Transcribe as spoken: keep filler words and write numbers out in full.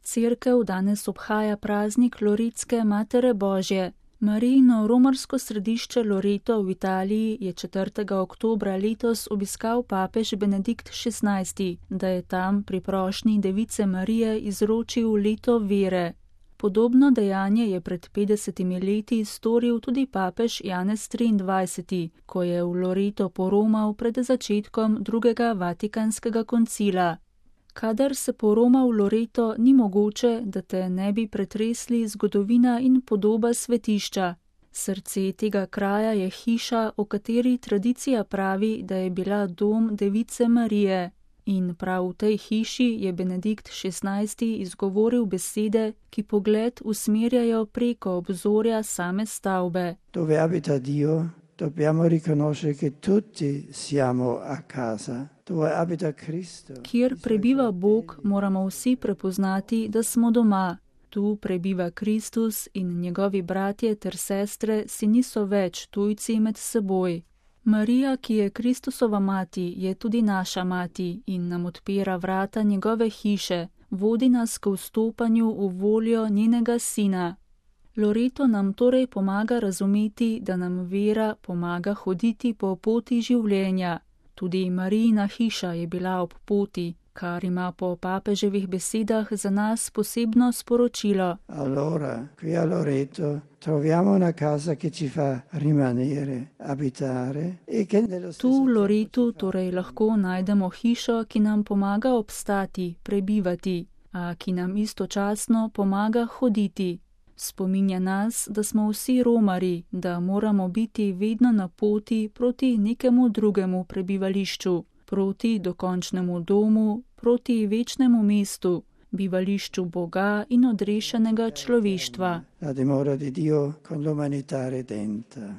Cerkev danes obhaja praznik Loretske Matere Božje. Marijino romarsko središče Loreto v Italiji je četrtega oktobra letos obiskal papež Benedikt šestnajsti, da je tam pri prošnji Device Marije izročil leto vere. Podobno dejanje je pred petdesetimi leti storil tudi papež Janez triindvajseti, ko je v Loreto poromal pred začetkom drugega vatikanskega koncila. Kadar se poroma v Loreto, ni mogoče, da te ne bi pretresli zgodovina in podoba svetišča. Srce tega kraja je hiša, o kateri tradicija pravi, da je bila dom Device Marije. In prav v tej hiši je Benedikt šestnajsti izgovoril besede, ki pogled usmerjajo preko obzorja same stavbe. Dove abita Dio, dobbiamo riconoscere che tutti siamo a casa. Dove abita Cristo. Kjer prebiva Bog, moramo vsi prepoznati, da smo doma. Tu prebiva Kristus in njegovi bratje ter sestre si niso več tujci med seboj. Marija, ki je Kristusova mati, je tudi naša mati in nam odpira vrata njegove hiše, vodi nas k vstopanju v voljo njenega sina. Loreto nam torej pomaga razumeti, da nam vera pomaga hoditi po poti življenja. Tudi Marijina hiša je bila ob poti, kar ima po papeževih besedah za nas posebno sporočilo. Allora, qui a Loreto troviamo una casa che ci fa rimanere, abitare e che nello stesso Tu v Loretu torej lahko najdemo hišo, ki nam pomaga obstati, prebivati, a ki nam istočasno pomaga hoditi. Spominja nas, da smo vsi romari, da moramo biti vedno na poti proti nekemu drugemu prebivališču, proti dokončnemu domu, proti večnemu mestu, bivališču Boga in odrešenega človeštva. La dimora di Dio con l'umanità redenta.